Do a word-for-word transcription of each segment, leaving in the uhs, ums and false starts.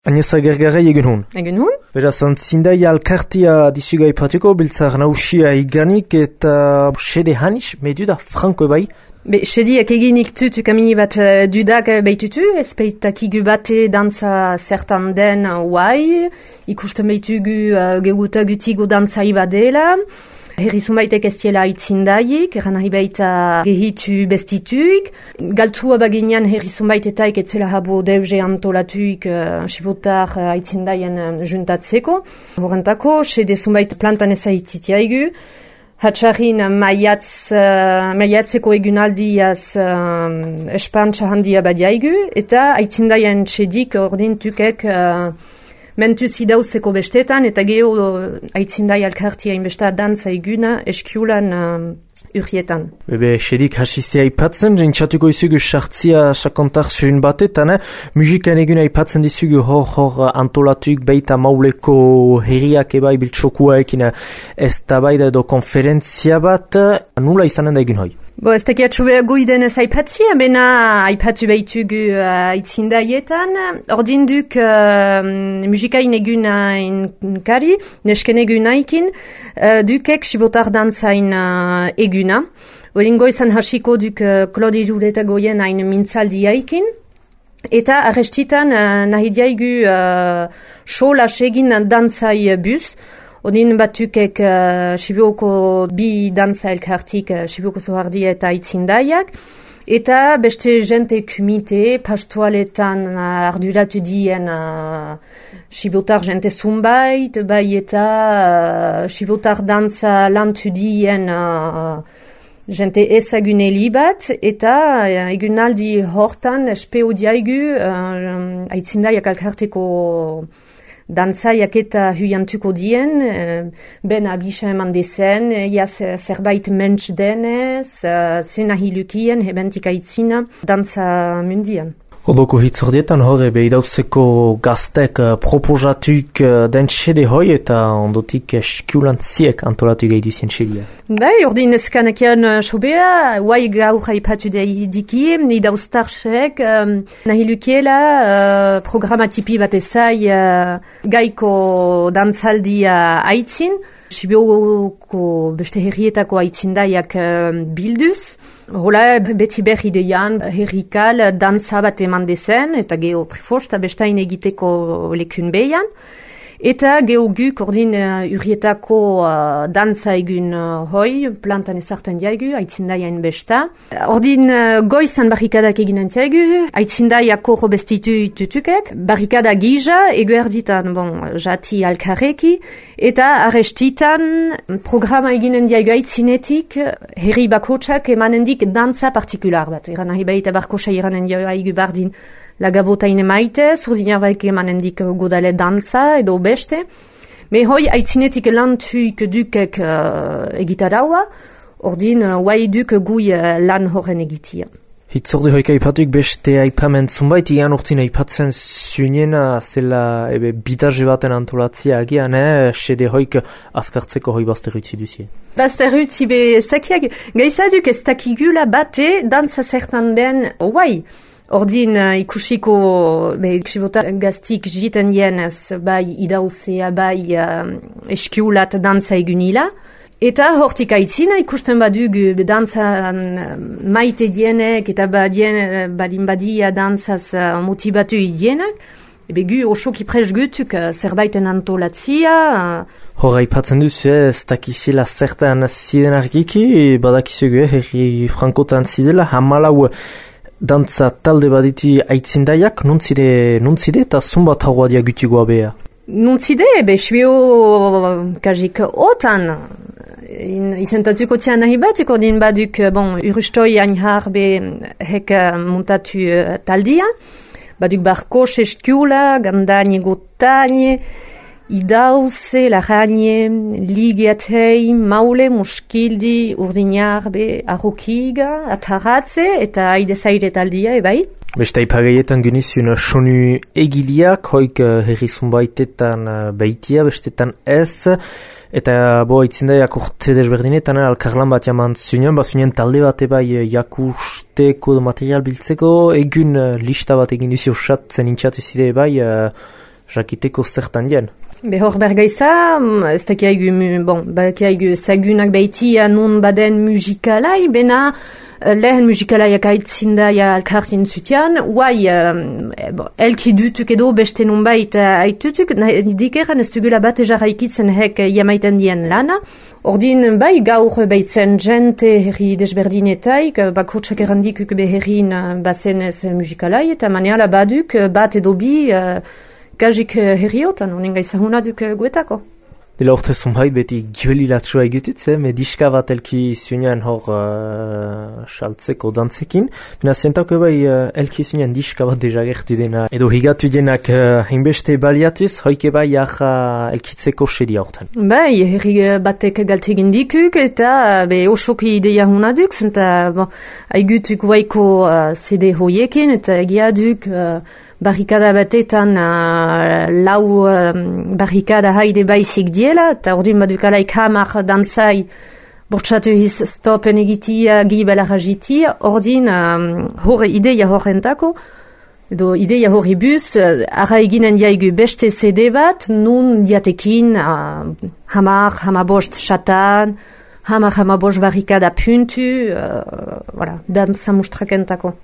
Agnesa Gergarei egun hon. Egun hon? Beraz, antzindai alkartia dizuga ipatiko, biltzar nausia iganik eta sede hanis, medu da franko bai? Be, sediak eginik tutu kamini bat uh, dudak behitutu, ez peitakigu bate dantza zertan den uai, ikusten behitugu uh, geugutagutigo dantza ibadela, herri zumbaitek ez diela aitzindaiek, eran nahi baita gehitu bestituik. Galtua baginean herri zumbaitetaik etzela habo deuze antolatuik uh, sibotar uh, aitzindaien uh, juntatzeko. Horrentako, sede zumbait plantan ezaititiaigu. Hatxarrin maiatz, uh, maiatzeko egunaldiaz uh, espantxa handia badiaigu. Eta aitzindaien sedik ordintukek uh, mentuz idauzeko bestetan, eta geho aitzindai alkartia inbesta dantza eguna eskiulan uh, urrietan. Bebe, sedik hasizia ipatzen, jentsatuko izugu sartzia sakontar zuen batetan, eh? Musikan eguna ipatzen dizugu hor-hor antolatuik beita mauleko herriak ebai biltsokuaekin ez tabaida edo konferentzia bat, nula izanen da egun hoi? Bo, ez tekiatxo guiden ez aipatzia, bena aipatu behitugu uh, aitzindaietan. Ordinduk uh, musikain egunain kari, nesken egunaikin, uh, dukek sibotar dantzain uh, eguna. Olingo izan hasiko duk uh, Klodi Jureta goien hain mintzaldiaikin. Eta arrestitan uh, nahi diaigu uh, show lasegin dantzai bus. Odin batukek uh, Sibioko bi dantza elkartik uh, Sibioko zohardia eta aitzindaiak. Eta beste jente kumite, pastualetan uh, arduratu dien uh, Sibotar jente zumbait, bai eta uh, Sibotar dantza lantu dien uh, jente ezaguneli bat. Eta uh, egunaldi hortan espeo diaigu uh, aitzindaiak elkarteko dantzaiak eta huiantuko dien, ben abisa eman dezen, ja zerbait mentz denez, zena hilukien, hebentik aitzina, dantza mundian. Odoko hitzordietan horre behidauzeko gaztek proposatuik den sede hoi eta ondotik eskulantziek antolatu gehi duzien sedea. Bai, ordin ezkanakian sobea, guai gaur haipatu diki, idauztarsek, um, nahi lukiela uh, programatipi bat ezai uh, gaiko dantzaldia aitzin, Sibioko beste herrietako aitzindaiak uh, bilduz. Hola, beti berri deian, herrikal dantza bat eman dezen, eta geho prefosta bestain egiteko lekun behian. Eta geho guk ordin uh, urrietako uh, dantza egun uh, hoi, plantan ezartan diaigu, aitzindaiain besta. Ordin uh, goizan barrikadak eginen diaigu, aitzindaiako robestitu tutukek, barrikada gija, egu erditan, bon, jati alkareki, eta arrestitan programa eginen diaigu aitzinetik, herri bakotsak emanendik dantza partikular bat. Eran nahi baita barkosa iranen diaigu bardin, lagabotaine maite, zurdinak emanendik godale dantza edo beste. Me hoi aitzinetik lantuik dukek uh, egitaraua, ordin uh, guai duk gui uh, lan horren egitia. Hitzorde hoika ipatuik beste aipamen zunbait, ian urtin aipatzen zunena zela ebe bidaje baten antolatzia agian, eh? Sede hoik askartzeko hoi bazterutzi duzie. Bazterutzi be zakiak, gaizaduk ez takigula bate dantza zertan den guai. Ordin uh, ikusiko be, sibotar gaztik jiten dienez bai idauzea, bai uh, eskiulat dantza egunila. Eta hortik aitzina ikusten badugu dantza uh, maite dienek eta badien, badin badia dantzaz uh, motibatu idienak. Ebe gu osoki prez gutuk uh, zerbaiten antolatzia. Uh, Hora ipatzen duzu, ez dakizela zertan ziren argiki, badakizugu, herri frankotan zidela, hamalau dantza talde baditi aitzindaiak, nuntzide, nuntzide eta zumbat hauadia gutigoa beha? Nuntzide, be, shbio kajik otan. Izentatuko tian nahi batuko din baduk, bon, urustoi ainhar be hek montatu uh, taldia. Baduk barko seskiula, gandanie gotanie, idauze, laranie, ligiatei, maule, muskildi, urdinar, be, arrokiga, ataratze, eta aidezaire taldia, ebai? Beste ipageietan genizun sonu egiliak, hoik uh, herri zunbaitetan uh, baitia, bestetan ez, eta bo aitzindaiak urte desberdinetan uh, alkarlan bat jaman zunean, bat zunean talde bat ebai uh, jakusteko material biltzeko, egun uh, lista bat egin duzio osatzen intxatu zide ebai, uh, jakiteko zertan dien. Behor bergaiza, ez dakiaigu, bon, bakiaigu zagunak behitia nun baden musikalai, bena lehen musikalaiak aitzindaia alkartin zutian, guai, eh, bon, elki dutuk edo beste nunbait aitutuk, dikeran ez dugula bat ejarraikitzen hek jamaiten dien lana. Ordin, bai, gaur behitzen jente herri desberdinetaik, bakurtsak errandikuk beherrin bazenez musikalai, eta maneala baduk bat edo bi gajik herriotan, honen gaizahuna duk guetako. Dela orte zumbait beti giolilatsua egitutze, me diska bat elki zunean hor uh, saltzeko dantzekin. Bina zientako bai uh, elki zunean diska bat deja gertu dena. Edo higatu denak uh, hinbeste baliatuz, hoike bai jaha elkitzeko sedia hortan. Bai, herri batek galtegin dikuk eta be osoki ideia hona duk, zenta bon, aigutuk waiko uh, C D hoiekin eta egia duk uh, barrikada batetan uh, lau uh, barrikada haide baizik diela, eta ordin badukalaik hamar dantzai bortxatu hiz stopen egitia, gibela rajitia, ordin um, hor ideia horrentako, edo ideia horri bus, uh, ara eginen diaigu beste C D bat, nun diatekin uh, hamar, hamabost xatan, hamar, hamabost barrikada puntu, uh, voilà, dantza mustrakentako.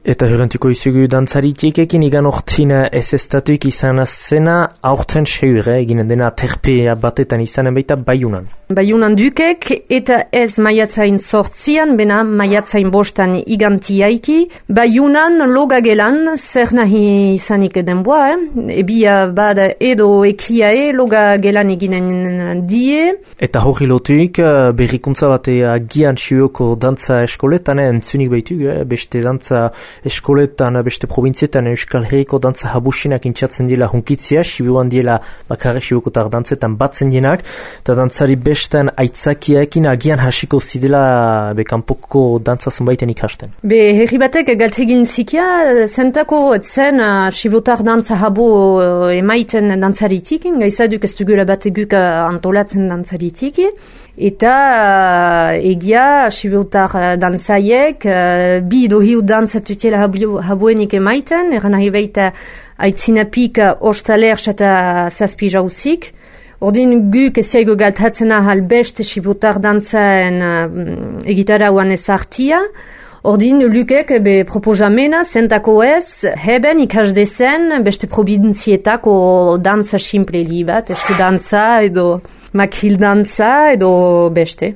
Eta hurrentuko izugu dantzaritekekin igan ortin ez estatuik izan zena aurten seure eginen dena terpea batetan izanen baita Baiunan. Baiunan dukek eta ez maiatzain sortzian, bena maiatzain bostan igantiaiki. Baiunan logagelan zer nahi izanik denboa, eh? Ebia bada edo ekiae logagelan eginen die. Eta hori lotuik berrikuntza batea gian siuoko dantza eskoletan entzunik baitu, eh? Beste dantza eskoletan, beste provintzietan Euskal Herriko dantza habusinak intxatzen dira hunkitzia, sibuan dira bakarrik sibukotar dantzetan batzen dienak, eta dantzari bestan aitzakiaekin agian hasiko zidela bekanpoko dantza zunbaiten ikasten. Be herri batek galtegin zikia, zentako zen uh, sibutar dantza habu uh, emaiten dantzaritikin, gaizaduk ez dugula bateguk uh, antolatzen dantzaritikin, eta uh, egia sibutar uh, dantzaiek uh, bi edo hiu dantzatutiela habu, habuenik emaiten, eran nahi baita aitzinapik ostaler eta zazpi jauzik. Ordin guk eziaigo galtatzen ahal beste sibutar dantzaen uh, egitarauan ezartia. Ordin lukek be proposamena zentako ez, heben ikasdezen beste provinzietako dantza simple li bat, estu dantza edo makil dantza edo beste.